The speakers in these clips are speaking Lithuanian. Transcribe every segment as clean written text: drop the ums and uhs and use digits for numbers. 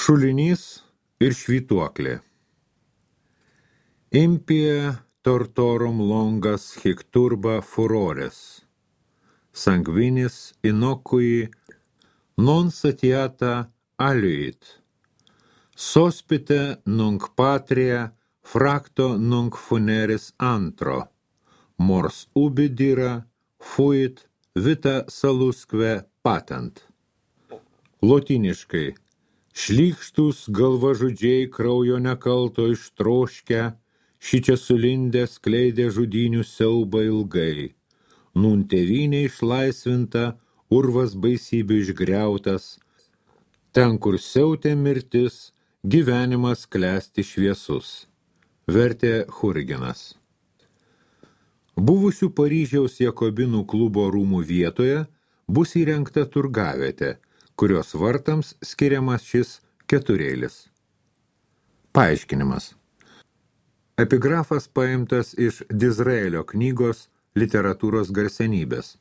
Šulinys ir švytuoklė. Impie tortorum longas hic turba furores, sanguinis innocui non satiata aluit, sospite nunc patria fracto nunc funeris antro, mors ubi dira fuit vita salusque patent. Lotyniškai. Šlykštūs galvažudžiai kraujo nekalto ištroškę, šičia sulindę skleidė žudynių siaubą ilgai. Nun tėvynė išlaisvinta, urvas baisybių išgriautas. Ten, kur siautė mirtis, gyvenimas klesti šviesus. Vertė Hurigenas. Buvusių Paryžiaus Jakobinų klubo rūmų vietoje bus įrengta turgavietė, kurios vartams skiriamas šis keturėlis. Paaiškinimas. Epigrafas paimtas iš Dizraelio knygos Literatūros garsenybės.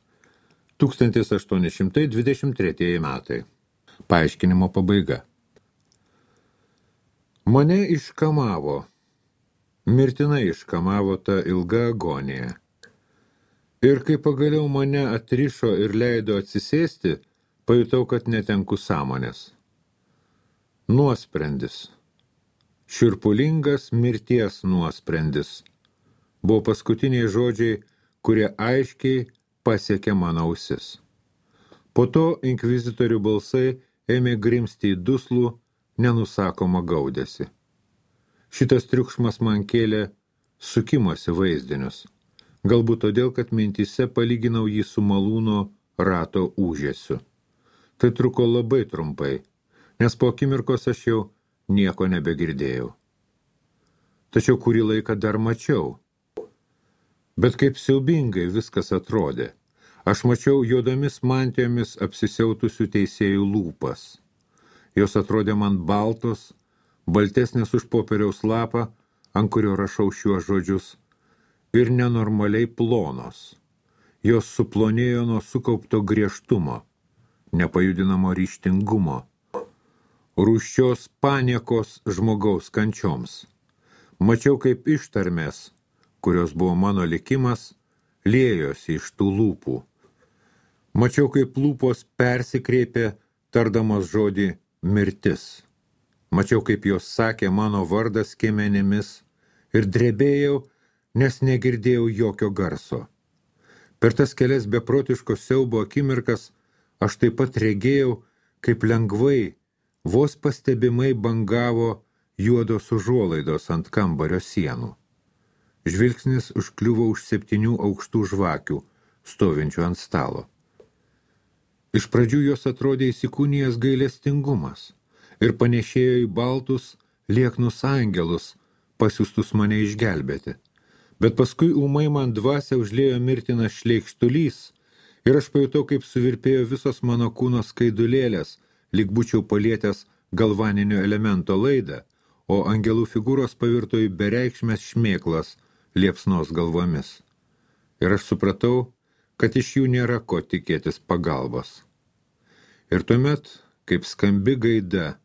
1823 metai. Paaiškinimo pabaiga. Mane iškamavo, mirtinai iškamavo ta ilga agonija. Ir kai pagaliau mane atrišo ir leido atsisėsti, pajutau, kad netenku sąmonės. Nuosprendis. Šiurpulingas mirties nuosprendis. Buvo paskutiniai žodžiai, kurie aiškiai pasiekė mano ausis. Po to inkvizitorių balsai ėmė grimsti į duslų, nenusakomą gaudesį. Šitas triukšmas man kėlė sukimosi vaizdinius. Galbūt todėl, kad mintyse palyginau jį su malūno rato ūžesiu. Tai truko labai trumpai, nes po akimirkos aš jau nieko nebegirdėjau. Tačiau kurį laiką dar mačiau. Bet kaip siaubingai viskas atrodė. Aš mačiau juodomis mantijomis apsisiautusių teisėjų lūpas. Jos atrodė man baltos, baltesnės už popieriaus lapą, ant kurio rašau šiuos žodžius, ir nenormaliai plonos. Jos suplonėjo nuo sukaupto griežtumo, nepajudinamo ryžtingumo, rūsčios paniekos žmogaus kančioms. Mačiau, kaip ištarmės, kurios buvo mano likimas, liejosi iš tų lūpų. Mačiau, kaip lūpos persikreipė, tardamos žodį mirtis. Mačiau, kaip jos sakė mano vardą skiemenimis ir drebėjau, nes negirdėjau jokio garso. Per tas kelias beprotiško siaubo akimirkas aš taip pat regėjau, kaip lengvai, vos pastebimai bangavo juodos užuolaidos ant kambario sienų. Žvilgsnis užkliuvo už 7 aukštų žvakių, stovinčių ant stalo. Iš pradžių jos atrodė įsikūnijęs gailestingumas ir panešėjo į baltus, lieknus angelus, pasiųstus mane išgelbėti. Bet paskui ūmai man dvasią užliejo mirtinas šleikštulys ir aš pajutau, kaip suvirpėjo visos mano kūno skaidulėlės, lyg būčiau palietęs galvaninio elemento laidą, o angelų figūros pavirto į bereikšmės šmėklas liepsnos galvomis. Ir aš supratau, kad iš jų nėra ko tikėtis pagalbos. Ir tuomet, kaip skambi gaida,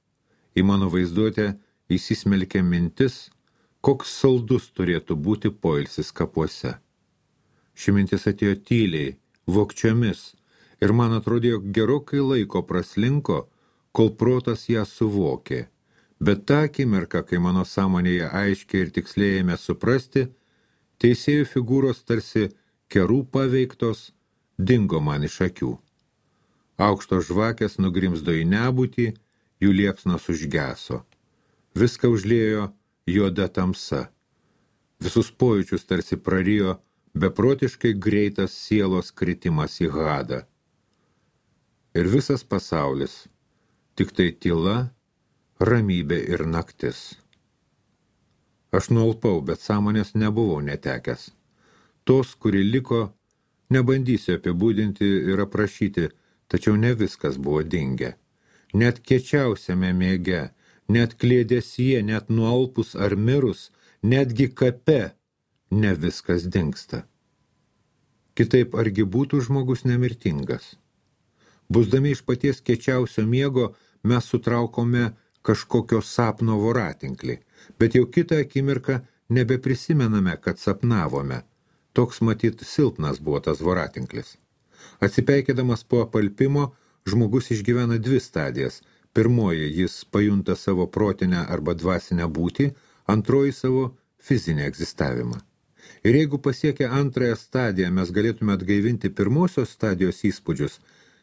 į mano vaizduotę įsismelkė mintis, koks saldus turėtų būti poilsis kapuose. Ši mintis atėjo tyliai, vogčiomis, ir man atrodė, jog gerokai laiko praslinko, kol protas ją suvokė. Bet tą akimirką, kai mano sąmonėje aiškiai ir tiksliai ėmė suprasti, teisėjų figūros tarsi kerų paveiktos, dingo man iš akių. Aukštos žvakės nugrimzdo į nebūtį, jų liepsnos užgeso. Viską užliejo juoda tamsa. Visus pojūčius tarsi prarijo beprotiškai greitas sielos kritimas į Hadą. Ir visas pasaulis, tik tai tyla, ramybė ir naktis. Aš nualpau, bet sąmonės nebuvau netekęs. Tos, kuri liko, nebandysiu apibūdinti ir aprašyti, tačiau ne viskas buvo dingę. Net kiečiausiame miege, net klėdesyje, net nualpus ar mirus, netgi kape, ne viskas dingsta. Kitaip argi būtų žmogus nemirtingas? Busdami iš paties kiečiausio miego, mes sutraukome kažkokio sapno voratinklį, bet jau kitą akimirką nebeprisimename, kad sapnavome. Toks matyt silpnas buvo tas voratinklis. Atsipeikėdamas po apalpimo, žmogus išgyvena dvi stadijas. Pirmoji, jis pajunta savo protinę arba dvasinę būtį, antroji savo fizinį egzistavimą. Ir jeigu pasiekę antrąją stadiją mes galėtume atgaivinti pirmosios stadijos įspūdžius,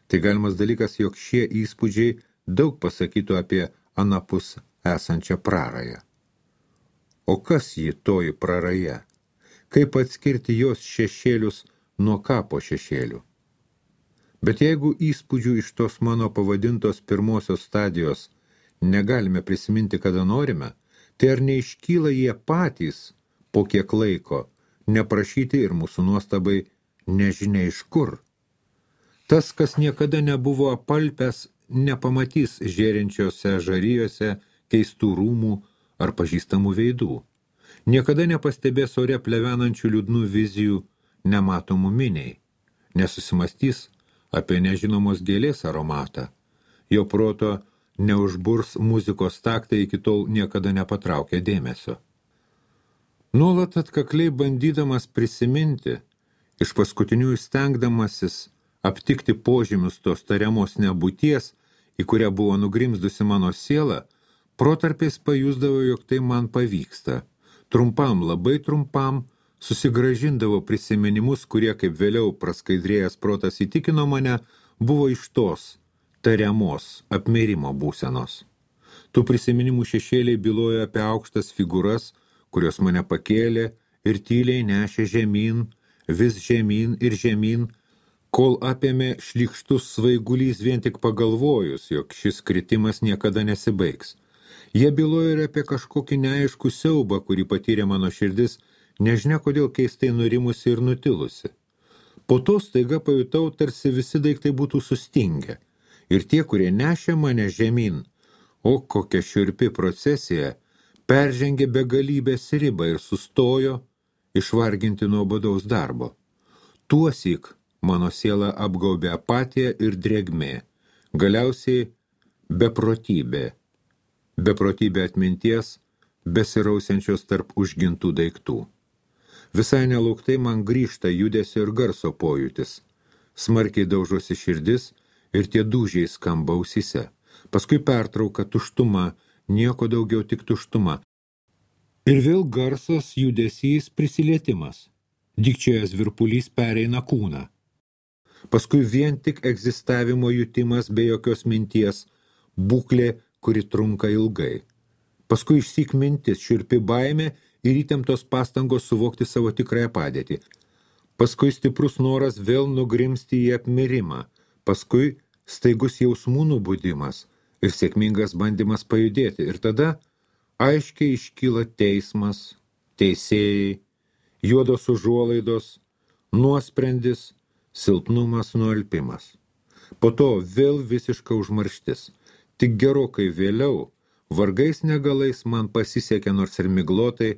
tai galimas dalykas, jog šie įspūdžiai daug pasakytų apie anapus esančią prarają. O kas ji toji praraja? Kaip atskirti jos šešėlius nuo kapo šešėlių? Bet jeigu įspūdžių iš tos mano pavadintos pirmosios stadijos negalime prisiminti, kada norime, tai ar neiškyla jie patys po kiek laiko, neprašyti ir mūsų nuostabai nežinia iš kur? Tas, kas niekada nebuvo apalpęs, nepamatys žėrinčiose žarijose keistų rūmų ar pažįstamų veidų. Niekada nepastebės ore plevenančių liūdnų vizijų nematomų miniai. Nesusimastys apie nežinomos gėlės aromatą. Jo proto neužburs muzikos taktai iki tol niekada nepatraukė dėmesio. Nuolat atkakliai bandydamas prisiminti, iš paskutinių stengdamasis aptikti požymius tos tariamos nebūties, į kurią buvo nugrimzdusi mano siela, protarpiais pajusdavo, jog tai man pavyksta. Trumpam, labai trumpam, susigražindavo prisiminimus, kurie, kaip vėliau praskaidrėjęs protas įtikino mane, buvo iš tos tariamos apmirimo būsenos. Tų prisiminimų šešėliai bylojo apie aukštas figūras, kurios mane pakėlė ir tyliai nešė žemyn, vis žemyn ir žemyn, kol apėmė šlykštus svaigulys vien tik pagalvojus, jog šis kritimas niekada nesibaigs. Jie bylojo ir apie kažkokį neaiškų siaubą, kurį patyrė mano širdis, nežinia kodėl keistai nurimusi ir nutilusi. Po to staiga pajutau, tarsi visi daiktai būtų sustingę, ir tie, kurie nešė mane žemyn, o kokia šiurpi procesija, peržengė begalybės ribą ir sustojo išvarginti nuobodaus darbo. Tuosyk mano siela apgaubė apatija ir drėgmė, galiausiai beprotybė atminties, besirausiančios tarp užgintų daiktų. Visai nelauktai man grįžta judesio ir garso pojūtis. Smarkiai daužosi širdis ir tie dūžiai skamba ausyse. Paskui pertrauka, tuštuma, nieko daugiau tik tuštuma. Ir vėl garsas, judesys, prisilietimas. Dikčiojas virpulys pereina kūną. Paskui vien tik egzistavimo jutimas be jokios minties, būklė, kuri trunka ilgai. Paskui išsyk mintis, šiurpi baimė ir įtemptos pastangos suvokti savo tikrąją padėtį. Paskui stiprus noras vėl nugrimsti į apmirimą. Paskui staigus jausmų nubudimas ir sėkmingas bandymas pajudėti. Ir tada aiškiai iškyla teismas, teisėjai, juodos užuolaidos, nuosprendis, silpnumas, nualpimas. Po to vėl visiška užmarštis. Tik gerokai vėliau, vargais negalais man pasisekė nors ir miglotai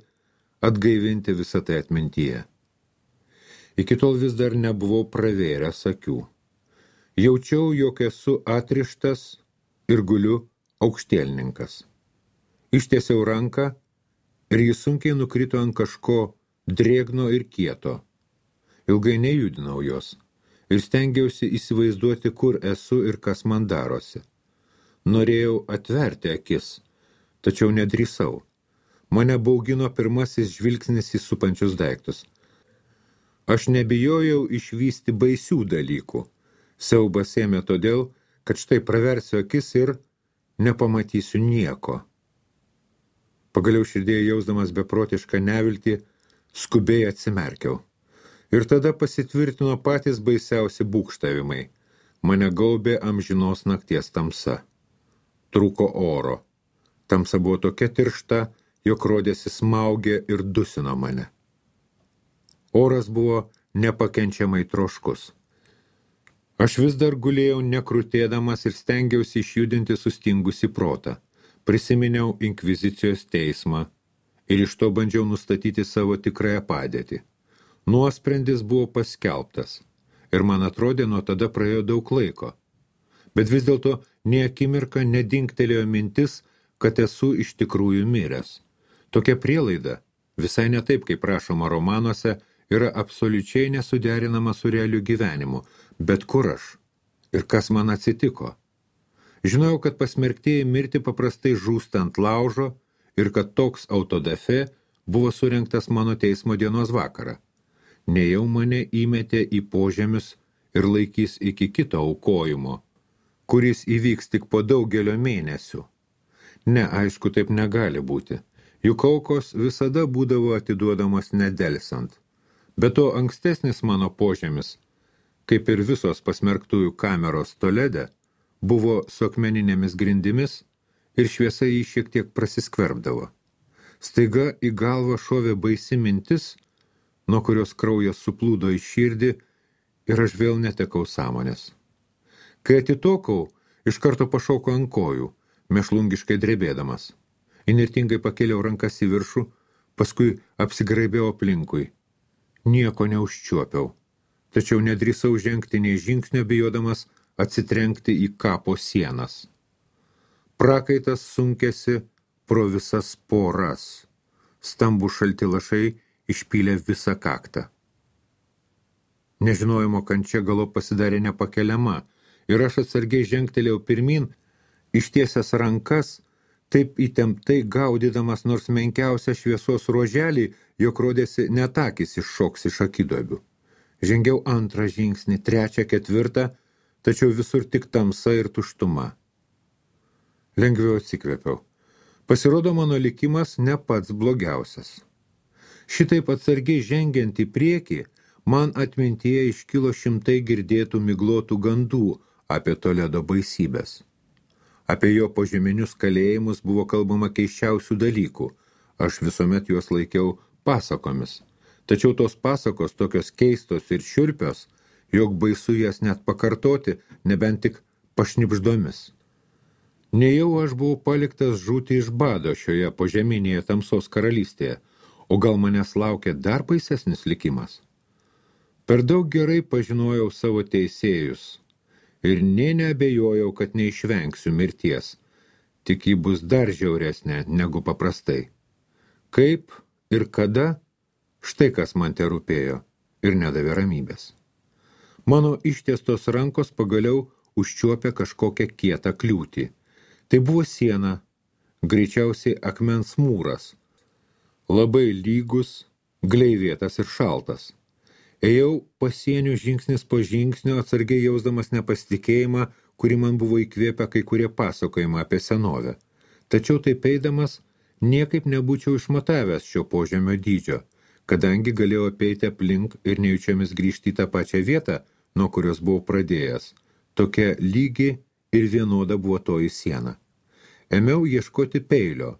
atgaivinti visą tai atmintyje. Iki tol vis dar nebuvau pravėręs akių. Jaučiau, jog esu atrištas ir guliu aukštielninkas. Ištiesiau ranką ir jis sunkiai nukrito ant kažko drėgno ir kieto. Ilgai nejudinau jos ir stengiausi įsivaizduoti, kur esu ir kas man darosi. Norėjau atverti akis, tačiau nedrįsau. Mane baugino pirmasis žvilgsnis į supančius daiktus. Aš nebijojau išvysti baisių dalykų. Siaubas ėmė todėl, kad štai praversiu akis ir nepamatysiu nieko. Pagaliau širdėje jausdamas beprotišką neviltį, skubiai atsimerkiau. Ir tada pasitvirtino patys baisiausi būgštavimai. Mane gaubė amžinos nakties tamsa. Trūko oro. Tamsa buvo tokia tiršta, jog rodėsi smaugė ir dusino mane. Oras buvo nepakenčiamai troškus. Aš vis dar gulėjau nekrutėdamas ir stengiausi išjudinti sustingusį protą. Prisiminiau inkvizicijos teismą ir iš to bandžiau nustatyti savo tikrąją padėtį. Nuosprendis buvo paskelbtas ir man atrodė, nuo tada praėjo daug laiko. Bet vis dėlto nė akimirką nedingtelėjo mintis, kad esu iš tikrųjų miręs. Tokia prielaida, visai ne taip, kaip rašoma romanuose, yra absoliučiai nesuderinama su realiu gyvenimu. Bet kur aš? Ir kas man atsitiko? Žinojau, kad pasmerktieji mirti paprastai žūsta ant laužo ir kad toks autodafe buvo surengtas mano teismo dienos vakarą. Nejau mane įmetė į požemius ir laikys iki kito aukojimo, kuris įvyks tik po daugelio mėnesių. Ne, aišku, taip negali būti. Juk aukos visada būdavo atiduodamos nedelsant. Be to ankstesnis mano požemis, kaip ir visos pasmerktųjų kameros Tolede, buvo su akmeninėmis grindimis ir šviesa jį šiek tiek prasiskverbdavo. Staiga į galvą šovė baisi mintis, nuo kurios kraujas suplūdo į širdį ir aš vėl netekau sąmonės. Kai atitokau, iš karto pašokau ant kojų, mėšlungiškai drebėdamas. Įnirtingai pakėliau rankas į viršų, paskui apsigraibėjau aplinkui. Nieko neužčiuopiau, tačiau nedrįsau žengti nei žingsnio bijodamas atsitrenkti į kapo sienas. Prakaitas sunkėsi pro visas poras. Stambų šalti lašai išpylė visą kaktą. Nežinojimo kančia galop pasidarė nepakeliama ir aš atsargiai žengtelėjau pirmin, ištiesęs rankas, taip įtemptai gaudydamas nors menkiausią šviesos ruoželį, jog rodėsi net akys iššoks iš akiduobių. Žengiau antrą žingsnį, trečią, ketvirtą, tačiau visur tik tamsa ir tuštuma. Lengviau atsikvėpiau. Pasirodo, mano likimas ne pats blogiausias. Šitaip atsargiai žengiant į priekį, man atmintyje iškilo šimtai girdėtų miglotų gandų apie Toledo baisybės. Apie jo požeminius kalėjimus buvo kalbama keisčiausių dalykų. Aš visuomet juos laikiau pasakomis. Tačiau tos pasakos tokios keistos ir šiurpios, jog baisu jas net pakartoti, nebent tik pašnipždomis. Nejau aš buvau paliktas žūti iš bado šioje požeminėje tamsos karalystėje, o gal manęs laukia dar baisesnis likimas. Per daug gerai pažinojau savo teisėjus ir nė neabejojau, kad neišvengsiu mirties, tik ji bus dar žiauresnė negu paprastai. Kaip ir kada, štai kas man te rūpėjo ir nedavė ramybės. Mano ištiestos rankos pagaliau užčiuopė kažkokią kietą kliūtį. Tai buvo siena, greičiausiai akmens mūras, labai lygus, gleivėtas ir šaltas. Ėjau pasieniu žingsnis po žingsnio, atsargiai jausdamas nepasitikėjimą, kurį man buvo įkvėpę kai kurie pasakojimai apie senovę. Tačiau taip eidamas, niekaip nebūčiau išmatavęs šio požemio dydžio, kadangi galėjau apeiti aplink ir nejučiomis grįžti į tą pačią vietą, nuo kurios buvau pradėjęs. Tokia lygi ir vienoda buvo toji siena. Ėmiau ieškoti peilio,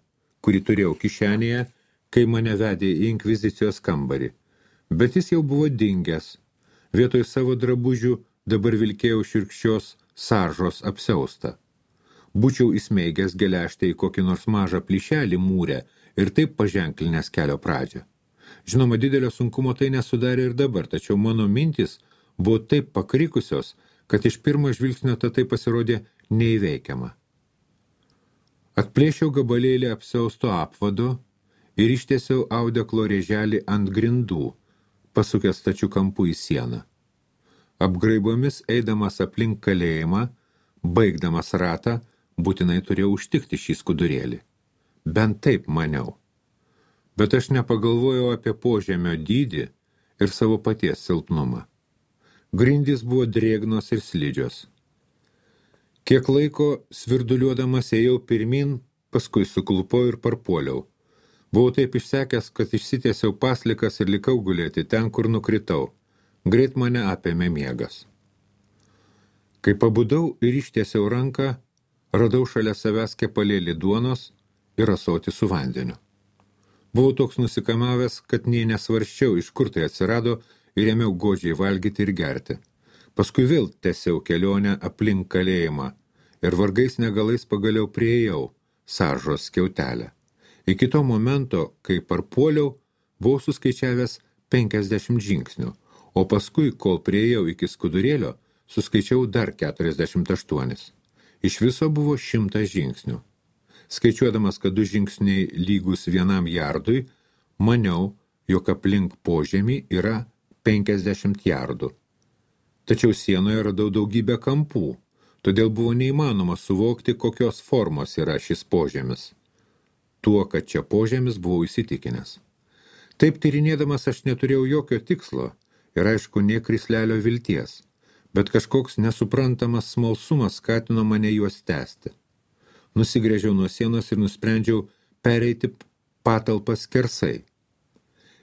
kurį turėjau kišenėje, kai mane vedė į inkvizicijos kambarį. Bet jis jau buvo dingęs. Vietoj savo drabužių dabar vilkėjau šiurkščios saržos apsiaustą. Būčiau įsmeigęs geležtę į kokį nors mažą plyšelį mūrę ir taip paženklinęs kelio pradžią. Žinoma, didelio sunkumo tai nesudarė ir dabar, tačiau mano mintys buvo taip pakrikusios, kad iš pirmo žvilgsnio tai pasirodė neįveikiama. Atplėšiau gabalėlį apsiausto apvado ir ištiesiau audeklo rėželį ant grindų, pasukęs stačiu kampu į sieną. Apgraibomis eidamas aplink kalėjimą, baigdamas ratą, būtinai turėjau užtikti šį skudurėlį. Bent taip maniau. Bet aš nepagalvojau apie požemio dydį ir savo paties silpnumą. Grindys buvo drėgnos ir slidžios. Kiek laiko svirduliuodamas ėjau pirmin, paskui suklupau ir parpuoliau. Buvau taip išsekęs, kad išsitiesiau paslikas ir likau gulėti ten, kur nukritau. Greit mane apėmė miegas. Kai pabudau ir ištiesiau ranką, radau šalia savęs kepalėlį duonos ir ąsotį su vandeniu. Buvau toks nusikamavęs, kad nei nesvarščiau, iš kur tai atsirado, ir ėmiau godžiai valgyti ir gerti. Paskui vėl tęsiau kelionę aplink kalėjimą ir vargais negalais pagaliau priėjau saržos skiautelę. Iki to momento, kai parpuoliau, buvau suskaičiavęs 50 žingsnių, o paskui, kol priėjau iki skudurėlio, suskaičiau dar 48. Iš viso buvo 100 žingsnių. Skaičiuodamas, kad 2 žingsniai lygus 1 jardui, maniau, jog aplink požemį yra 50 jardų. Tačiau sienoje radau daugybę kampų, todėl buvo neįmanoma suvokti, kokios formos yra šis požemis. Tuo, kad čia požemis, buvau įsitikinęs. Taip tyrinėdamas aš neturėjau jokio tikslo ir aišku, nė krislelio vilties, bet kažkoks nesuprantamas smalsumas skatino mane juos tęsti. Nusigręžiau nuo sienos ir nusprendžiau pereiti patalpas skersai.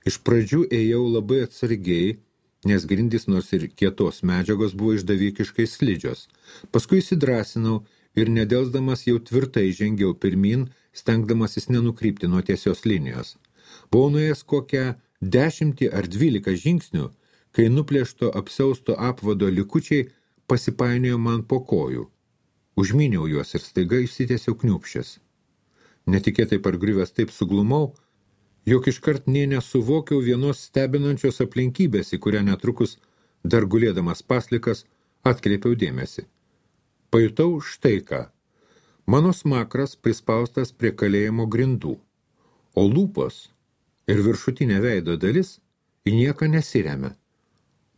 Iš pradžių ėjau labai atsargiai, nes grindys nors ir kietos medžiagos buvo išdavikiškai slidžios. Paskui įsidrąsinau ir nedelsdamas jau tvirtai žengiau pirmin, stengdamasis nenukrypti nuo tiesios linijos. Buvau nuėjęs kokią 10 ar 12 žingsnių, kai nuplėšto apsiausto apvado likučiai pasipainiojo man po kojų. Užmyniau juos ir staiga išsitiesiau kniūpščias. Netikėtai pargriuvęs taip suglumau, jog iškart nė nesuvokiau vienos stebinančios aplinkybės, į kurią netrukus, dar gulėdamas paslikas, atkreipiau dėmesį. Pajutau štai ką. Mano smakras prispaustas prie kalėjimo grindų, o lūpos ir viršutinė veido dalis į nieką nesiremia,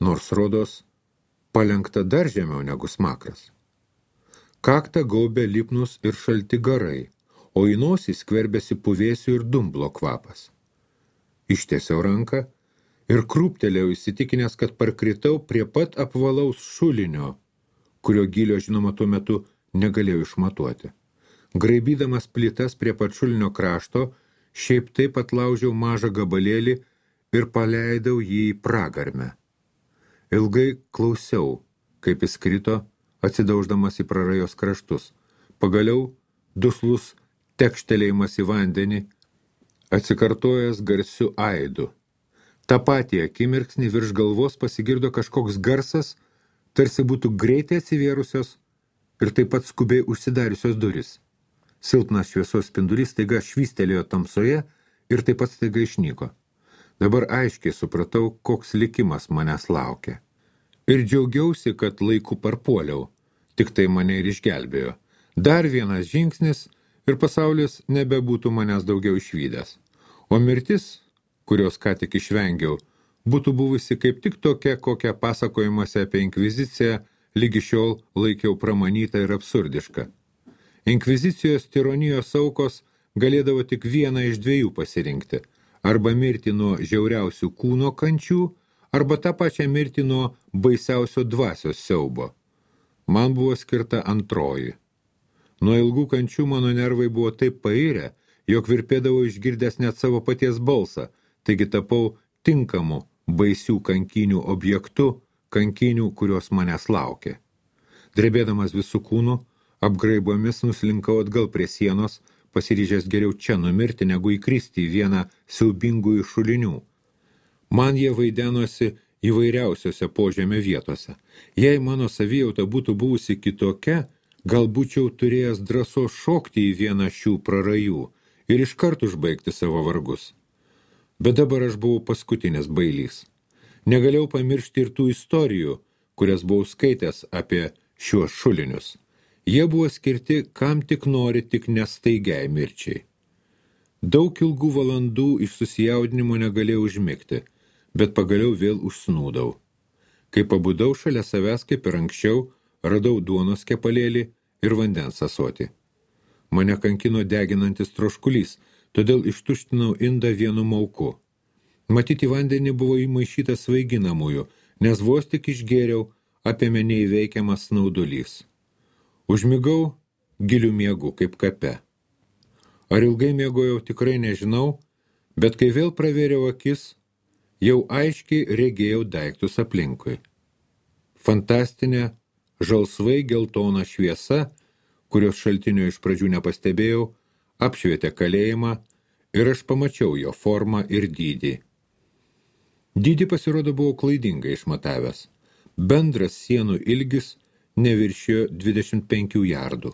nors rodos palenkta dar žemiau negu smakras. Kaktą gaubė lipnus ir šalti garai, o į nosį skverbėsi puvėsių ir dumblo kvapas. Ištiesiau ranką ir krūptelėjau įsitikinęs, kad parkritau prie pat apvalaus šulinio, kurio gylio, žinoma, tuo metu negalėjau išmatuoti. Graibydamas plytas prie pat šulinio krašto, šiaip taip atlaužiau mažą gabalėlį ir paleidau jį į pragarmę. Ilgai klausiau, kaip jis krito, atsidauždamas į prarajos kraštus. Pagaliau duslus tekštelėjimas į vandenį, atsikartojęs garsiu aidu. Ta patį akimirksnį virš galvos pasigirdo kažkoks garsas, tarsi būtų greitai atsivėrusios ir taip pat skubiai užsidariusios duris. Silpnas šviesos spindulys staiga švystelėjo tamsoje ir taip pat staiga išnyko. Dabar aiškiai supratau, koks likimas manęs laukia. Ir džiaugiausi, kad laiku parpuoliau, tik tai mane ir išgelbėjo. Dar vienas žingsnis ir pasaulis nebebūtų manęs daugiau išvydęs. O mirtis, kurios ką tik išvengiau, būtų buvusi kaip tik tokia, kokią pasakojimuose apie inkviziciją lygi šiol laikiau pramanytą ir absurdišką. Inkvizicijos tironijos aukos galėdavo tik vieną iš 2 pasirinkti, arba mirti nuo žiauriausių kūno kančių, arba tą pačią mirti nuo baisiausio dvasios siaubo. Man buvo skirta antroji. Nuo ilgų kančių mano nervai buvo taip pairę, jog virpėdavau išgirdęs net savo paties balsą, taigi tapau tinkamu baisių kankynių objektu, kankynių, kurios manęs laukė. Drebėdamas visų kūnų, apgraibomis nuslinkau atgal prie sienos, pasiryžęs geriau čia numirti, negu įkristi į vieną siaubingų šulinių. Man jie vaidenosi įvairiausiose požemio vietose. Jei mano savijauta būtų buvusi kitokia, gal būčiau turėjęs drąsos šokti į vieną šių prarajų ir iškart užbaigti savo vargus. Bet dabar aš buvau paskutinis bailys. Negalėjau pamiršti ir tų istorijų, kurias buvau skaitęs apie šiuos šulinius. Jie buvo skirti, kam tik nori, tik nestaigiai mirčiai. Daug ilgų valandų iš susijaudinimo negalėjau užmigti, bet pagaliau vėl užsnūdau. Kai pabudau šalia savęs, kaip ir anksčiau, radau duonos kepalėlį ir vandens ąsotį. Mane kankino deginantis troškulys, todėl ištuštinau indą vienu mauku. Matyti vandenį buvo įmaišytas svaiginamųjų, nes vos tik išgėriau, apėmė neįveikiamas snaudulys. Užmigau gilių miegų kaip kape. Ar ilgai miegojau, tikrai nežinau, bet kai vėl pravėriau akis, jau aiškiai regėjau daiktus aplinkui. Fantastinė, žalsvai geltona šviesa, kurios šaltinio iš pradžių nepastebėjau, apšvietė kalėjimą ir aš pamačiau jo formą ir dydį. Dydį pasirodo buvau klaidingai išmatavęs. Bendras sienų ilgis neviršijo 25 jardų.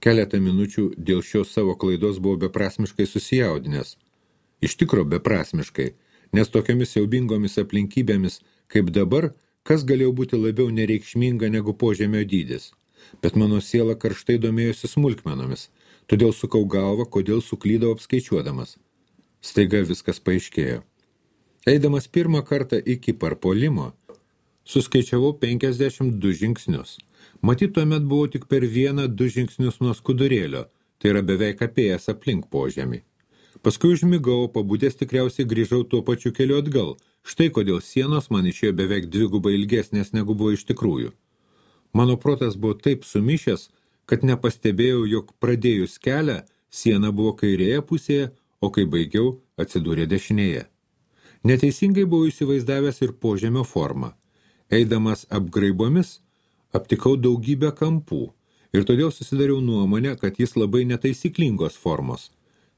Keletą minučių dėl šios savo klaidos buvau beprasmiškai susijaudinęs. Iš tikro beprasmiškai, nes tokiamis siaubingomis aplinkybėmis, kaip dabar, kas galėjo būti labiau nereikšminga negu požemio dydis. Bet mano siela karštai domėjosi smulkmenomis. Todėl sukau galvą, kodėl suklydau apskaičiuodamas. Staiga viskas paaiškėjo. Eidamas pirmą kartą iki parpuolimo, suskaičiavau 52 žingsnius. Matyt, tuomet buvau tik per 1-2 žingsnius nuo skudurėlio, tai yra beveik apėjęs aplink požemį. Paskui užmigau, pabudęs tikriausiai grįžau tuo pačiu keliu atgal. Štai kodėl sienos man išėjo beveik 2 ilgesnės negu buvo iš tikrųjų. Mano protas buvo taip sumišęs, kad nepastebėjau, jog pradėjus kelią, siena buvo kairėje pusėje, o kai baigiau, atsidūrė dešinėje. Neteisingai buvau įsivaizdavęs ir požemio formą. Eidamas apgraibomis, aptikau daugybę kampų ir todėl susidariau nuomonę, kad jis labai netaisyklingos formos.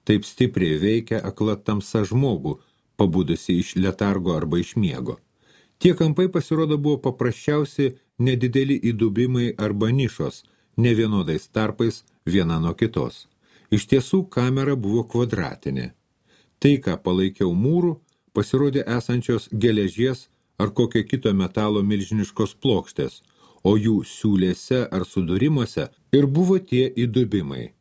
Taip stipriai veikia akla tamsa žmogų, pabudusi iš letargo arba iš miego. Tie kampai pasirodo buvo paprasčiausi nedideli įdubimai arba nišos, nevienodais tarpais viena nuo kitos. Iš tiesų kamera buvo kvadratinė. Tai, ką palaikiau mūrų, pasirodė esančios geležies ar kokio kito metalo milžiniškos plokštės, o jų siūlėse ar sudūrimuose ir buvo tie įdubimai.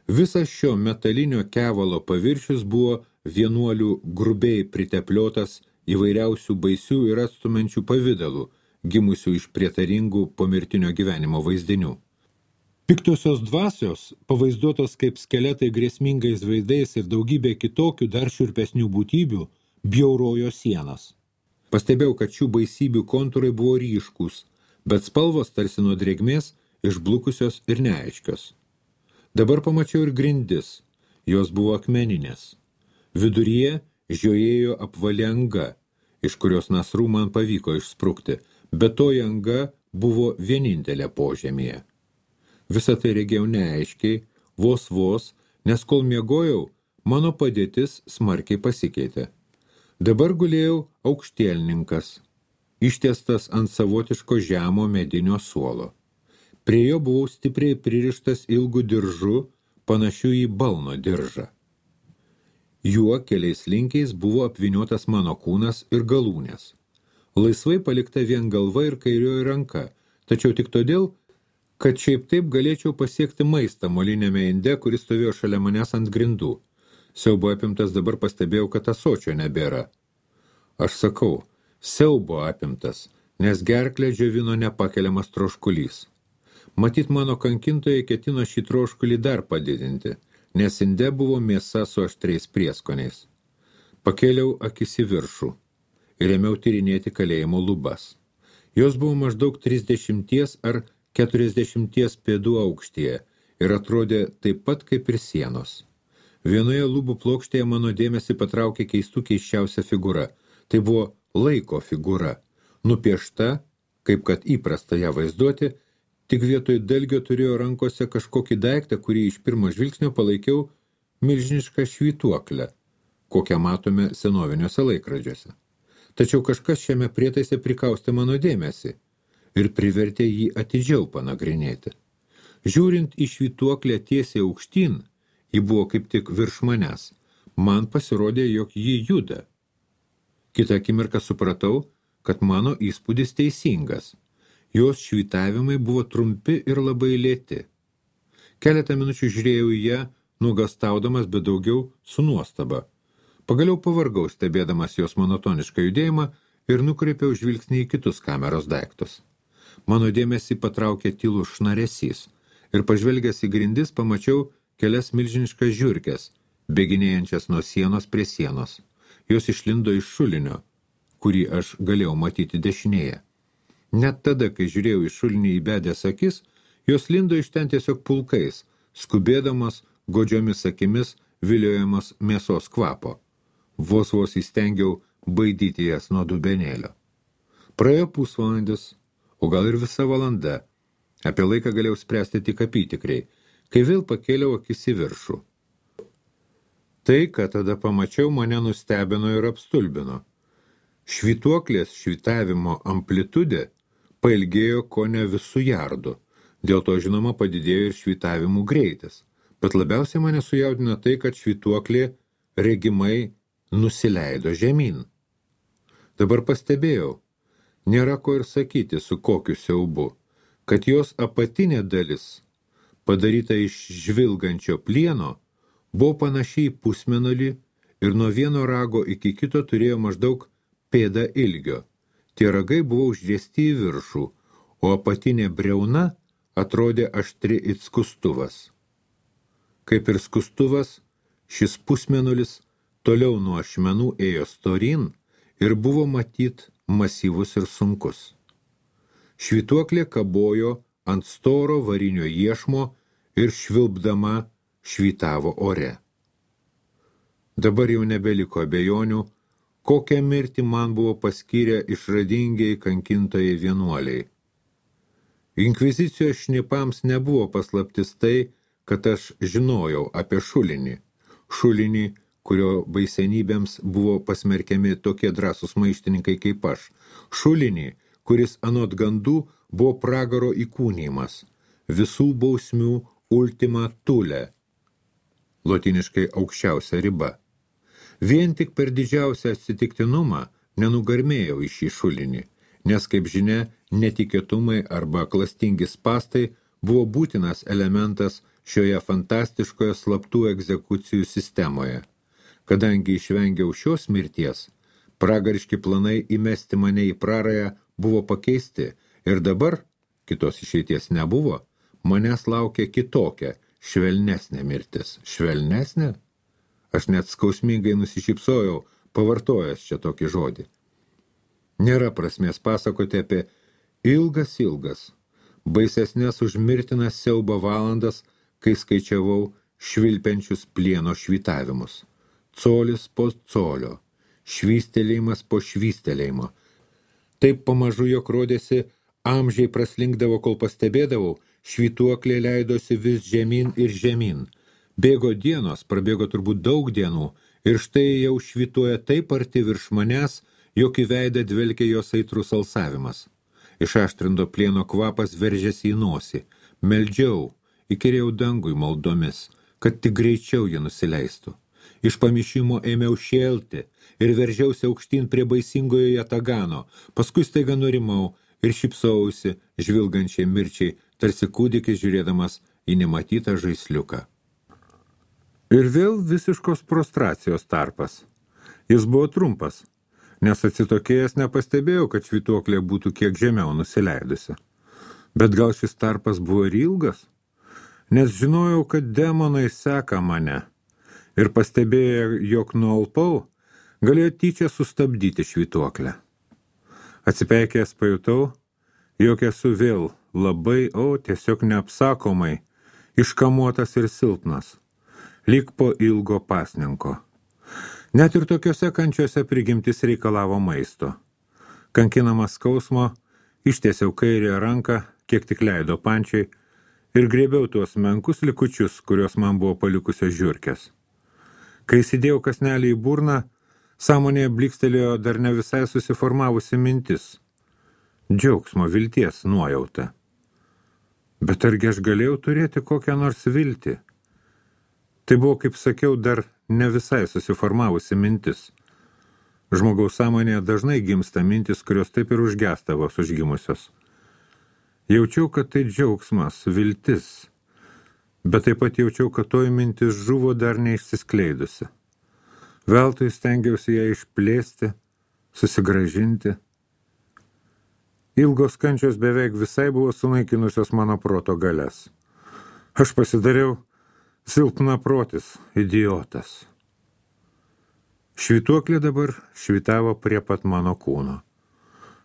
Visas šio metalinio kevalo paviršius buvo vienuolių grubiai pritepliotas įvairiausių baisių ir atstumenčių pavidalų, gimusių iš prietaringų pomirtinio gyvenimo vaizdinių. Piktosios dvasios, pavaizduotos kaip skeletai grėsmingais veidais ir daugybė kitokių dar šiurpesnių būtybių, bjaurojo sienas. Pastebėjau, kad šių baisybių kontūrai buvo ryškūs, bet spalvos tarsi nuo drėgmės išblukusios ir neaiškios. Dabar pamačiau ir grindis, jos buvo akmeninės. Viduryje žiojėjo apvali anga, iš kurios nasrų man pavyko išsprukti, bet toji anga buvo vienintelė požemyje. Visą tai regėjau neaiškiai, vos, nes kol miegojau, mano padėtis smarkiai pasikeitė. Dabar gulėjau aukštielninkas, ištiestas ant savotiško žemo medinio suolo. Prie jo buvau stipriai pririštas ilgu diržu, panašiu į balno diržą. Juo keliais linkiais buvo apvyniotas mano kūnas ir galūnės. Laisvai palikta vien galva ir kairioji ranka, tačiau tik todėl, kad šiaip taip galėčiau pasiekti maistą molinėme inde, kuris stovėjo šalia manęs ant grindų. Siaubo apimtas dabar pastebėjau, kad ąsočio nebėra. Aš sakau, siaubo apimtas, nes gerklę džiovino nepakeliamas troškulys. Matyt, mano kankintojai ketino šį troškulį dar padidinti, nes inde buvo mėsa su aštriais prieskoniais. Pakėliau akis į viršų ir ėmiau tyrinėti kalėjimo lubas. Jos buvo maždaug 30 ar 40 pėdų aukštyje ir atrodė taip pat kaip ir sienos. Vienoje lubų plokštėje mano dėmesį patraukė keisčiausia figūra. Tai buvo laiko figūra, nupiešta, kaip kad įprasta ją vaizduoti, tik vietoj dalgio turėjo rankose kažkokį daiktą, kurį iš pirmo žvilgsnio palaikiau milžinišką švytuoklę, kokią matome senoviniuose laikrodžiuose. Tačiau kažkas šiame prietaise prikaustė mano dėmesį ir privertė jį atidžiau panagrinėti. Žiūrint į švytuoklę tiesiai aukštyn, ji buvo kaip tik virš manęs, man pasirodė, jog ji juda. Kitą akimirką supratau, kad mano įspūdis teisingas. Jos švytavimai buvo trumpi ir labai lėti. Keletą minučių žiūrėjau į ją, nuogastaudamas, bet daugiau su nuostaba. Pagaliau pavargau, stebėdamas jos monotonišką judėjimą ir nukreipiau žvilgsnį į kitus kameros daiktus. Mano dėmesį patraukė tylus šnaresys ir pažvelgęs į grindis pamačiau kelias milžiniškas žiurkes, bėginėjančias nuo sienos prie sienos. Jos išlindo iš šulinio, kurį aš galėjau matyti dešinėje. Net tada, kai žiūrėjau į šulinį įbedęs akis, jos lindo iš ten tiesiog pulkais, skubėdamas, godžiomis akimis, viliojamas mėsos kvapo. Vos įstengiau baidyti jas nuo dubenėlio. Praėjo pusvalandis, o gal ir visa valanda. Apie laiką galėjau spręsti tik apytikriai, kai vėl pakėliau akis į viršų. Tai, ką tada pamačiau, mane nustebino ir apstulbino. Švytuoklės švytavimo amplitudė pailgėjo kone visų jardų, dėl to žinoma padidėjo ir švytavimų greitis, bet labiausiai mane sujaudino tai, kad švytuoklė regimai nusileido žemyn. Dabar pastebėjau, nėra ko ir sakyti su kokiu siaubu, kad jos apatinė dalis padaryta iš žvilgančio plieno, buvo panašiai į pusmėnulį ir nuo vieno rago iki kito turėjo maždaug pėdą ilgio. Tie ragai buvo užriesti į viršų, o apatinė briauna atrodė aštri it skustuvas. Kaip ir skustuvas, šis pusmėnulis toliau nuo ašmenų ėjo storin ir buvo matyt masyvus ir sunkus. Švytuoklė kabojo ant storo varinio iešmo ir švilpdama švytavo ore. Dabar jau nebeliko abejonių, kokią mirtį man buvo paskyrę išradingiai kankintojai vienuoliai. Inkvizicijos šnipams nebuvo paslaptis tai, kad aš žinojau apie šulinį, kurio baisenybėms buvo pasmerkiami tokie drąsūs maištininkai kaip aš, šulinį, kuris anot gandų buvo pragaro įkūnijimas, visų bausmių ultima thule, lotiniškai aukščiausia riba. Vien tik per didžiausią atsitiktinumą nenugarmėjau į šį šulinį, nes, kaip žinia, netikėtumai arba klastingi spastai buvo būtinas elementas šioje fantastiškoje slaptų egzekucijų sistemoje. Kadangi išvengiau šios mirties, pragariški planai įmesti mane į prarąją buvo pakeisti ir dabar, kitos išeities nebuvo, manęs laukia kitokia, švelnesnė mirtis. Švelnesnė? Aš net skausmingai nusišypsojau, pavartojęs čia tokį žodį. Nėra prasmės pasakoti apie ilgas, baisesnės už mirtiną siaubą valandas, kai skaičiavau švilpiančius plieno švytavimus. Colis po colio, švystelėjimas po švystelėjimo. Taip pamažu, jog rodėsi, amžiai praslinkdavo, kol pastebėdavau, švytuoklė leidosi vis žemyn ir žemyn. Bėgo dienos, prabėgo turbūt daug dienų, ir štai jau švytuoja taip arti virš manęs, jog į veidą dvelkė jos aitrus alsavimas. Išaštrindo plieno kvapas veržėsi į nosį. Meldžiau, įkyrėjau dangui maldomis, kad tik greičiau jį nusileistų. Iš pamišimo ėmiau šėlti ir veržiausi aukštyn prie baisingojo jatagano, paskui staiga nurimau ir šypsausi žvilgančiai mirčiai, tarsi kūdikis žiūrėdamas į nematytą žaisliuką. Ir vėl visiškos prostracijos tarpas. Jis buvo trumpas, nes atsitokėjęs nepastebėjau, kad švytuoklė būtų kiek žemiau nusileidusi. Bet gal šis tarpas buvo ir ilgas? Nes žinojau, kad demonai seka mane ir pastebėję, jog nualpau, galėjo tyčia sustabdyti švytuoklę. Atsipeikęs pajutau, jog esu vėl labai, tiesiog neapsakomai, iškamuotas ir silpnas, lyg po ilgo pasninko. Net ir tokiose kančiose prigimtis reikalavo maisto. Kankinamas skausmo, ištiesiau kairę ranką, kiek tik leido pančiai, ir grėbiau tuos menkus likučius, kurios man buvo palikusios žiurkės. Kai įsidėjau kasnelį į burną, sąmonėje blykstelėjo dar ne visai susiformavusi mintis. Džiaugsmo, vilties nuojauta. Bet argi aš galėjau turėti kokią nors viltį? Tai buvo, kaip sakiau, dar ne visai susiformavusi mintis. Žmogaus sąmonėje dažnai gimsta mintis, kurios taip ir užgesta vos užgimusios. Jaučiau, kad tai džiaugsmas, viltis, bet taip pat jaučiau, kad toji mintis žuvo dar neišsiskleidusi. Veltui stengiausi ją išplėsti, susigrąžinti. Ilgos kančios beveik visai buvo sunaikinusios mano proto galias. Aš pasidariau silpnaprotis, idiotas. Švytuoklė dabar švytavo prie pat mano kūno.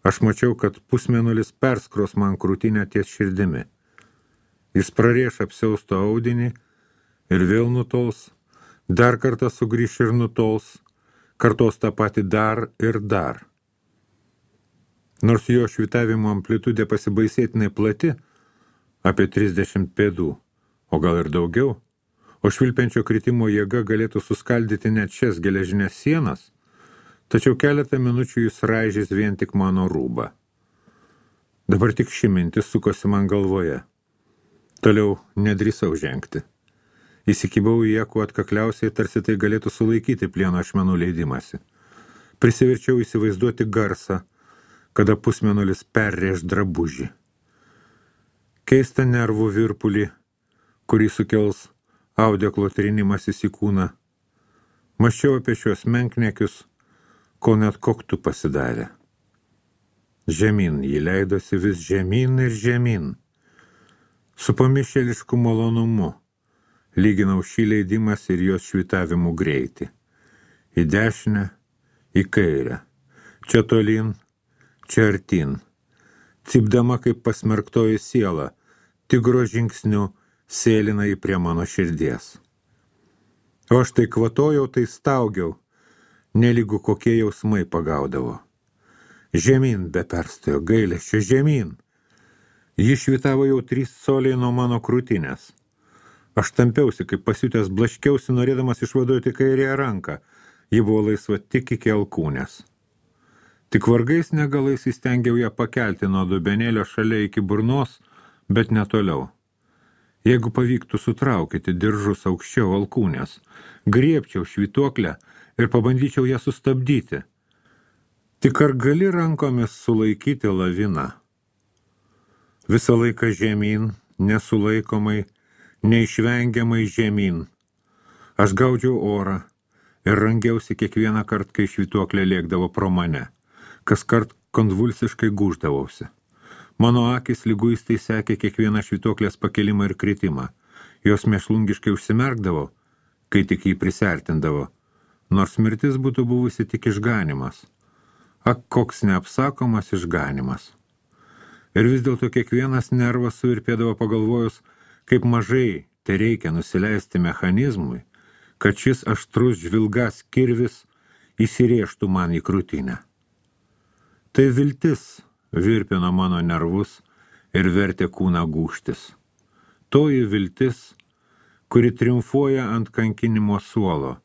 Aš mačiau, kad pusmėnulis perskros man krūtinę ties širdimi. Jis prarieš apsiausto audinį ir vėl nutols, dar kartą sugrįš ir nutols, kartos tą patį dar ir dar. Nors jo švytavimo amplitudė pasibaisėtinai plati, apie 30 pėdų, o gal ir daugiau, o švilpiančio kritimo jėga galėtų suskaldyti net šias geležinės sienas, tačiau keletą minučių jis raižys vien tik mano rūbą. Dabar tik ši mintis sukosi man galvoje. Toliau nedrįsau žengti. Įsikibau į ją kuo atkakliausiai, tarsi tai galėtų sulaikyti plieno ašmenų leidimąsi. Prisiverčiau įsivaizduoti garsą, kada pusmėnulis perrėž drabužį. Keistą nervų virpulį, kurį sukels audeklo trinimasis į kūną. Mąsčiau apie šios menkniekius, kol net koktu pasidarė. Žemyn, ji leidosi vis žemyn ir žemyn. Su pamišėlišku malonumu lyginau šį leidimas ir jos švitavimų greitį. Į dešinę, į kairę, čia tolyn, čia artyn. Cypdama kaip pasmerktoji siela, tigro žingsniu sėlina į prie mano širdies. O aš tai kvatojau, tai staugiau, nelygu kokie jausmai pagaudavo. Žemyn be perstojo gailesčio, žemyn. Ji švitavo jau 3 coliai nuo mano krūtinės. Aš tampiausi, kaip pasiutęs blaškiausi, norėdamas išvaduoti kairėje ranką. Ji buvo laisva tik iki alkūnės. Tik vargais negalais įstengiau ją pakelti nuo dubenėlio šalia iki burnos, bet ne toliau. Jeigu pavyktų sutraukyti diržus aukščiau alkūnės, griebčiau švytuoklę ir pabandyčiau ją sustabdyti. Tik ar gali rankomis sulaikyti laviną? Visą laiką žemyn, nesulaikomai, neišvengiamai žemyn. Aš gaudžiau orą ir rangiausi kiekvieną kartą, kai švytuoklė lėkdavo pro mane. Kaskart konvulsiškai gūždavausi. Mano akis liguistai sekė kiekvieną švytuoklės pakelimą ir kritimą. Jos mėšlungiškai užsimerkdavo, kai tik jį prisertindavo, nors mirtis būtų buvusi tik išganimas. Ak, koks neapsakomas išganimas. Ir vis dėlto kiekvienas nervas suvirpėdavo pagalvojus, kaip mažai tai reikia nusileisti mechanizmui, kad šis aštrus žvilgas kirvis įsirėžtų man į krūtinę. Tai viltis virpino mano nervus ir vertė kūną gūžtis. Toji viltis, kuri triumfuoja ant kankinimo suolo,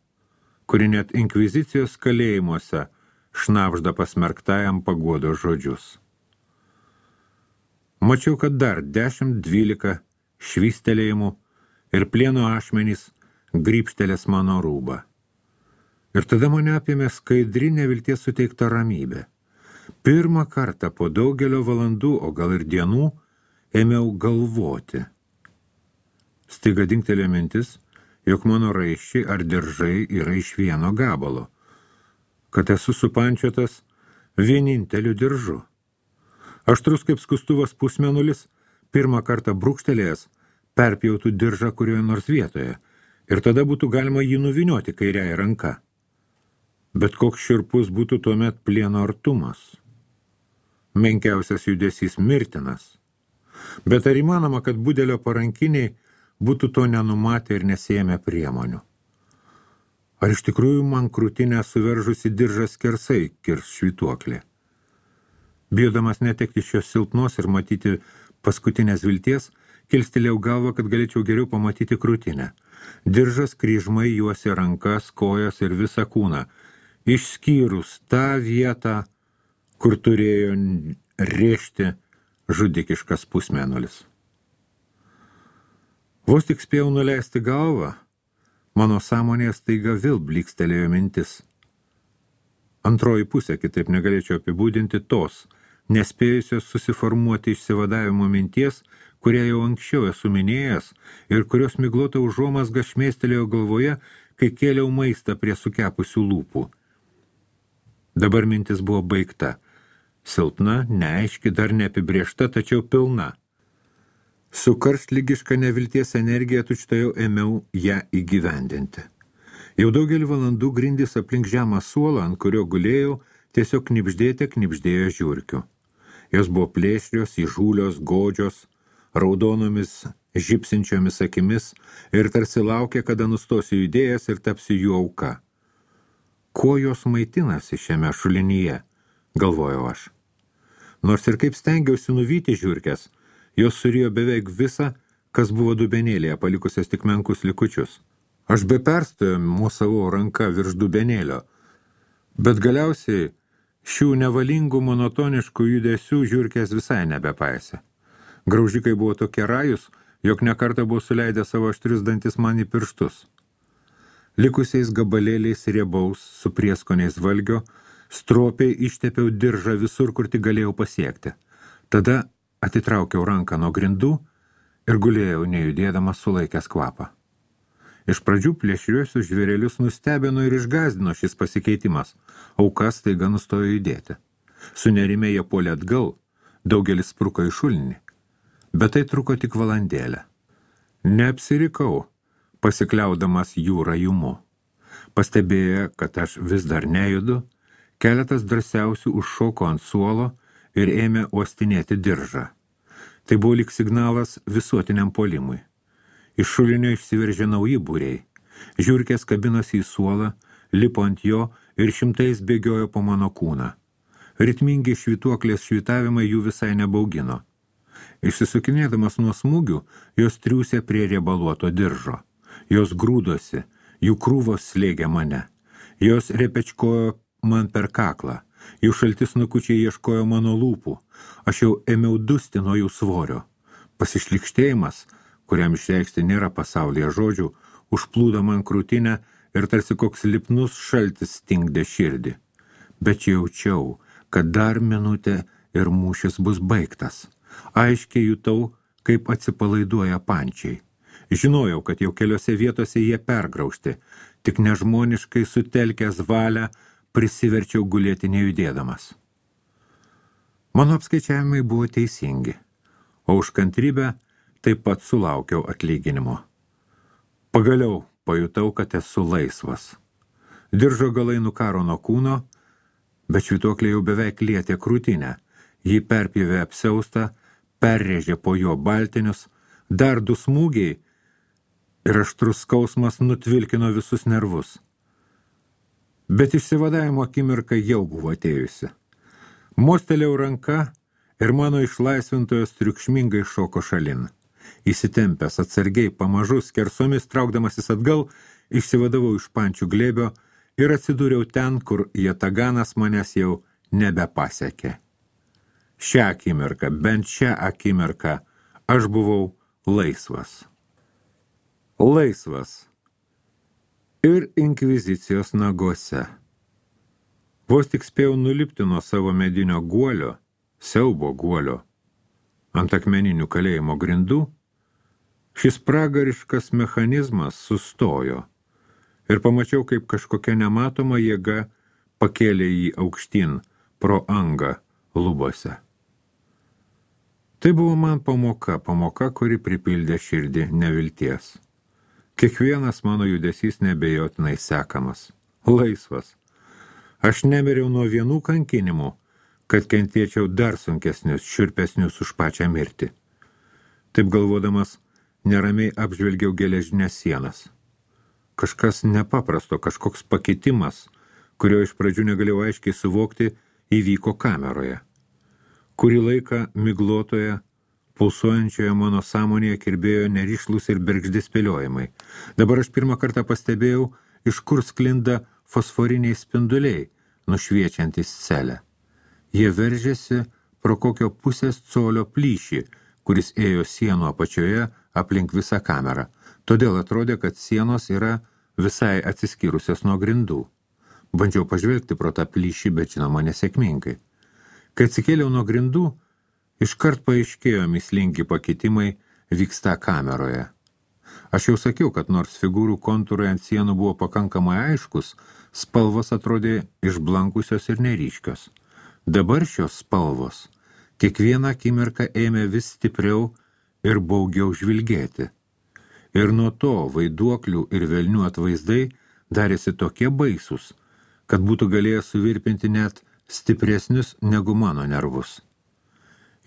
kuri net inkvizicijos kalėjimuose šnabžda pasmerktajam paguodos žodžius. Mačiau, kad dar 10-12 švystelėjimų ir plieno ašmenys grybštelės mano rūbą. Ir tada mane apėmė skaidri nevilties suteikta ramybė. Pirmą kartą po daugelio valandų, o gal ir dienų, ėmiau galvoti. Staiga dingtelėjo mintis, jog mano raiščiai ar diržai yra iš vieno gabalo, kad esu supančiotas vieninteliu diržu. Aštrus kaip skustuvas pusmenulis, pirmą kartą brūkštelėjęs, perpjautų diržą kurioje nors vietoje, ir tada būtų galima jį nuvynioti kairiąja ranka. Bet koks šiurpus būtų tuomet plieno artumas. Menkiausias judesys mirtinas. Bet ar įmanoma, kad budelio parankiniai būtų to nenumatę ir nesėmę priemonių? Ar iš tikrųjų man krūtinę suveržusi diržas skersai kirs švytuoklė? Bijodamas netekti šios silpnos ir matyti paskutinės vilties, kilstelėjau galvą, kad galėčiau geriau pamatyti krūtinę. Diržas kryžmai juosė rankas, kojas ir visą kūną, išskyrus tą vietą, kur turėjo rėžti žudikiškas pusmėnulis. Vos tik spėjau nuleisti galvą, mano sąmonėje staiga vėl blykstelėjo mintis. Antroji pusė, kitaip negalėčiau apibūdinti tos, nespėjusios susiformuoti išsivadavimo minties, kurią jau anksčiau esu minėjęs ir kurios miglota užuomazga šmėstelėjo galvoje, kai kėliau maistą prie sukepusių lūpų. Dabar mintis buvo baigta. Silpna, neaiški, dar neapibriešta, tačiau pilna. Su karštlygiška nevilties energija tučtuojau ėmiau ją įgyvendinti. Jau daugelį valandų grindys aplink žemą suolą, ant kurio gulėjau, tiesiog knibždėjo žiurkių. Jos buvo plėšrios, įžūlios, godžios, raudonomis, žipsinčiomis akimis ir tarsi laukė, kada nustosiu judėjęs ir tapsiu jų auka. Kuo jos maitinasi šiame šulinyje, galvojau aš. Nors ir kaip stengiausi nuvyti žiurkes, jos surijo beveik visą, kas buvo dubenėlėje, palikusias tik menkus likučius. Aš be perstojo mosavau ranka virš dubenėlio, bet galiausiai šių nevalingų monotoniškų judesių žiurkės visai nebepaisė. Graužikai buvo tokie rajus, jog nekartą buvo suleidę savo aštrius dantis man į pirštus. Likusiais gabalėliais riebaus su prieskoniais valgio, stropiai ištepiau diržą visur, kur tik galėjau pasiekti. Tada atitraukiau ranką nuo grindų ir gulėjau nejudėdamas sulaikęs kvapą. Iš pradžių plėšriuosius žvėrelius nustebino ir išgąsdino šis pasikeitimas, aukas staiga nustojo judėti. Sunerimę jie puolė atgal, daugelis spruko į šulinį, bet tai truko tik valandėlę. Neapsirikau, pasikliaudamas jų rajumu. Pastebėję, kad aš vis dar nejudu, keletas drąsiausių užšoko ant suolo ir ėmė uostinėti diržą. Tai buvo lyg signalas visuotiniam puolimui. Iš šulinio išsiveržė nauji būriai. Žiurkės kabinosi į suolą, lipo ant jo ir šimtais bėgiojo po mano kūną. Ritmingi švytuoklės švytavimai jų visai nebaugino. Išsisukinėdamas nuo smūgių, jos triūsė prie riebaluoto diržo. Jos grūdosi, jų krūvos slėgė mane. Jos repečkojo man per kaklą. Jų šaltis nukučiai ieškojo mano lūpų. Aš jau ėmiau dusti nuo jų svorio. Pasišlikštėjimas, kuriam išreikšti nėra pasaulyje žodžių, užplūdo man krūtinę ir tarsi koks lipnus šaltis stingdė širdį. Bet jaučiau, kad dar minutė ir mūšis bus baigtas. Aiškiai jutau, kaip atsipalaiduoja pančiai. Žinojau, kad jau keliose vietose jie pergraužti, tik nežmoniškai sutelkęs valią prisiverčiau gulėti nejudėdamas. Mano apskaičiavimai buvo teisingi, o už kantrybę taip pat sulaukiau atlyginimo. Pagaliau pajutau, kad esu laisvas. Diržo galai nukaro nuo kūno, bet švytuoklė jau beveik lietė krūtinę. Jį perpjovė apsiaustą, perrėžė po jo baltinius, dar 2 smūgiai ir aštrus skausmas nutvilkino visus nervus. Bet išsivadavimo akimirka jau buvo atėjusi. Mostelėjau ranka ir mano išlaisvintojas triukšmingai šoko šalin. Įsitempęs atsargiai pamažu skersomis traukdamasis atgal, išsivadavau iš pančių glėbio ir atsidūriau ten, kur jataganas manęs jau nebepasiekė. Šią akimirką, bent šią akimirką, aš buvau laisvas. Laisvas. Ir inkvizicijos naguose. Vos tik spėjau nulipti nuo savo medinio guolio, siaubo guolio, ant akmeninių kalėjimo grindų, šis pragariškas mechanizmas sustojo ir pamačiau, kaip kažkokia nematoma jėga pakėlė jį aukštyn pro angą lubose. Tai buvo man pamoka, kuri pripildė širdį nevilties. Kiekvienas mano judesys nebejotinai sekamas. Laisvas. Aš nemiriau nuo vienų kankinimų, kad kentėčiau dar sunkesnius, šiurpesnius už pačią mirtį. Taip galvodamas, neramiai apžvelgiau geležinės sienas. Kažkas nepaprasto, kažkoks pakitimas, kurio iš pradžių negalėjau aiškiai suvokti, įvyko kameroje. Kurį laiką miglotoje, pulsuojančioje mano sąmonėje kirbėjo nerišlus ir bergždi spėliojimai. Dabar aš pirmą kartą pastebėjau, iš kur sklinda fosforiniai spinduliai, nušviečiantys celę. Jie veržėsi pro kokio pusės colio plyšį, kuris ėjo sienų apačioje aplink visą kamerą. Todėl atrodė, kad sienos yra visai atsiskyrusios nuo grindų. Bandžiau pažvelgti pro tą plyšį, bet žinoma nesėkmingai. Kai atsikėliau nuo grindų, iškart paaiškėjo mįslingi pakitimai vyksta kameroje. Aš jau sakiau, kad nors figūrų kontūrai ant sienų buvo pakankamai aiškus, spalvos atrodė išblankusios ir neryškios. Dabar šios spalvos kiekvieną akimirką ėmė vis stipriau ir baugiau žvilgėti. Ir nuo to vaiduoklių ir velnių atvaizdai darėsi tokie baisūs, kad būtų galėję suvirpinti net stipresnius negu mano nervus.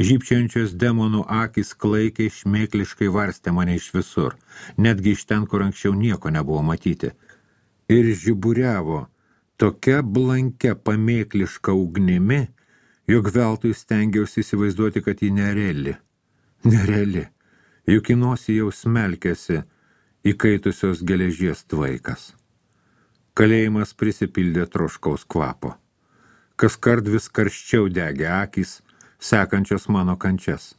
Žybčiančios demonų akys klaikiai šmėkliškai varstė mane iš visur, netgi iš ten, kur anksčiau nieko nebuvo matyti. Ir žiburiavo tokia blankia pamėkliška ugnimi, jog veltui stengiausi įsivaizduoti, kad ji nereali. Nereali, juk į nosį jau smelkėsi įkaitusios geležies tvaikas. Kalėjimas prisipildė troškaus kvapo. Kaskart vis karščiau degė akys, sekančios mano kančias.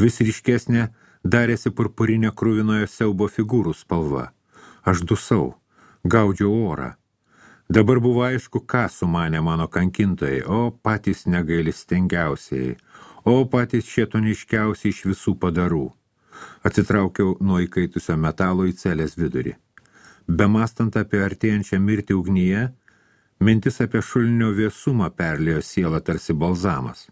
Vis ryškesnė darėsi purpurinė kruvinoje siaubo figūrų spalva. Aš dusau, gaudžiau orą. Dabar buvo aišku, ką sumanė mano kankintojai, o patys negailestingiausiai, o patys šėtoniškiausiai iš visų padarų. Atsitraukiau nuo įkaitusio metalo į celės vidurį. Bemastant apie artėjančią mirtį ugnyje, mintis apie šulinio vėsumą perlėjo sielą tarsi balzamas.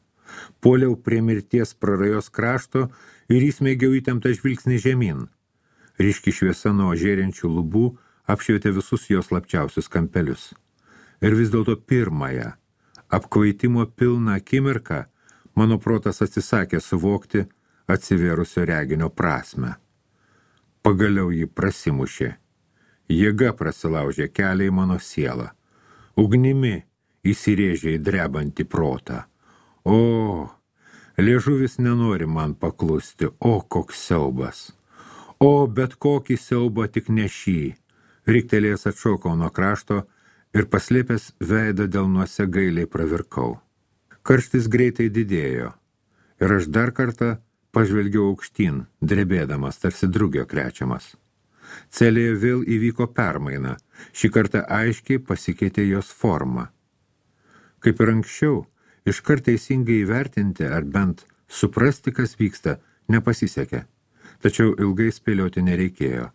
Puoliau prie mirties prarajos krašto ir įsmeigiau įtemptą žvilgsnį žemyn. Ryški šviesa nuo žėrinčių lubų apšvietė visus jos slapčiausius kampelius. Ir vis dėlto pirmąją, apkvaitimo pilną akimirką, mano protas atsisakė suvokti atsivėrusio reginio prasmę. Pagaliau jį prasimušė. Jėga prasilaužė kelią į mano sielą. Ugnimi įsirėžė į drebantį protą. O, liežuvis nenori man paklusti, o koks siaubas. O, bet kokį siaubą tik ne šį. Riktelėjęs atšokau nuo krašto ir paslėpęs veidą delnuose gailiai pravirkau. Karštis greitai didėjo ir aš dar kartą pažvelgiau aukštyn, drebėdamas, tarsi drugio krečiamas. Celėje vėl įvyko permaina, šį kartą aiškiai pasikeitė jos forma. Kaip ir anksčiau, iškart teisingai įvertinti ar bent suprasti, kas vyksta, nepasisekė. Tačiau ilgai spėlioti nereikėjo.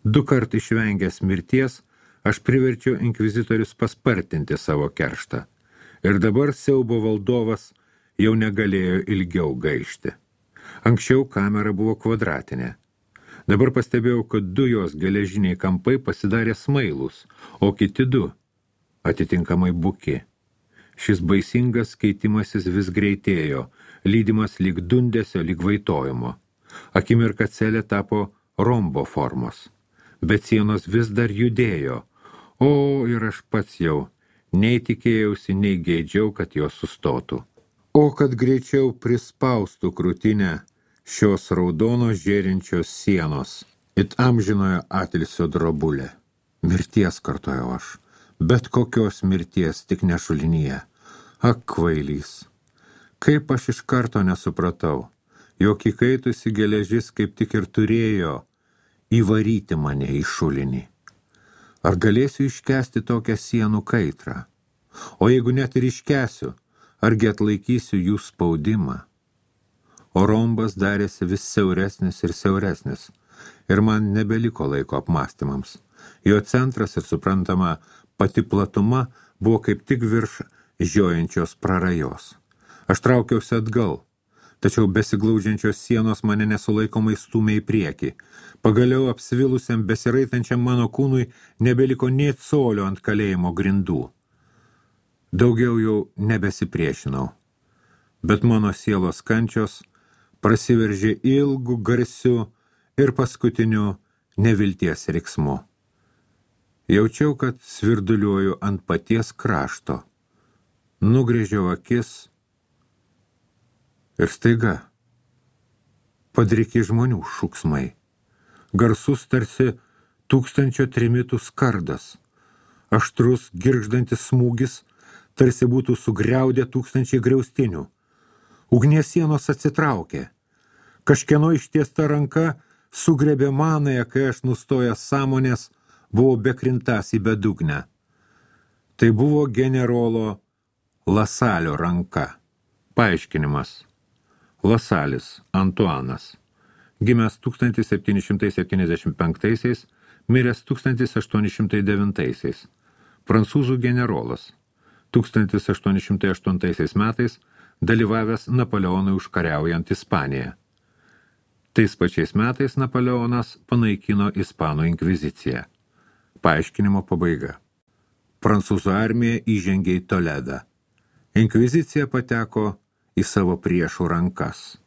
2 kart išvengęs mirties, aš priverčiau inkvizitorius paspartinti savo kerštą. Ir dabar siaubo valdovas jau negalėjo ilgiau gaišti. Anksčiau kamera buvo kvadratinė. Dabar pastebėjau, kad 2 jos geležiniai kampai pasidarė smailūs, o kiti 2 atitinkamai buki. Šis baisingas keitimasis vis greitėjo, lydimas lyg dundesio, lyg vaitojimo. Akimirka celė tapo rombo formos, bet sienos vis dar judėjo, o ir aš pats jau nei tikėjausi, nei geidžiau, kad jos sustotų. O kad greičiau prispaustų krūtinę šios raudonos žėrinčios sienos, it amžinojo atilsio drobulė. Mirties, kartojau aš, bet kokios mirties, tik ne šulinyje. Ak, kvailys. Kaip aš iš karto nesupratau, jog įkaitusi geležis kaip tik ir turėjo įvaryti mane į šulinį. Ar galėsiu iškęsti tokią sienų kaitrą? O jeigu net ir iškęsiu, argi atlaikysiu jų spaudimą? O rombas darėsi vis siauresnis ir siauresnis, ir man nebeliko laiko apmąstymams. Jo centras ir suprantama pati platuma buvo kaip tik virš žiojančios prarajos. Aš traukiausi atgal, tačiau besiglaudžiančios sienos mane nesulaikomai stūmė į priekį. Pagaliau apsvilusiam besiraitančiam mano kūnui nebeliko nė colio ant kalėjimo grindų. Daugiau jau nebesipriešinau, bet mano sielos kančios prasiveržė ilgu, garsiu ir paskutiniu nevilties riksmu. Jaučiau, kad svirduliuoju ant paties krašto. Nugrėžiau akis ir staiga padriki žmonių šūksmai. Garsus tarsi 1000 trimitų skardas. Aštrus, girgždantis smūgis tarsi būtų sugriaudė 1000 griaustinių. Ugnies sienos atsitraukė. Kažkieno ištiesta ranka sugrebė manąją, kai aš nustojęs sąmonės buvau bekrintas į bedugnę. Tai buvo generolo Lasalio ranka. Paaiškinimas. Lasalis Antuanas. Gimęs 1775, miręs 1809. Prancūzų generolas. 1808 metais dalyvavęs Napoleonui užkariaujant Ispaniją. Tais pačiais metais Napoleonas panaikino Ispanų inkviziciją. Paaiškinimo pabaiga. Prancūzų armija įžengė į Toledą. Inkvizicija pateko į savo priešų rankas.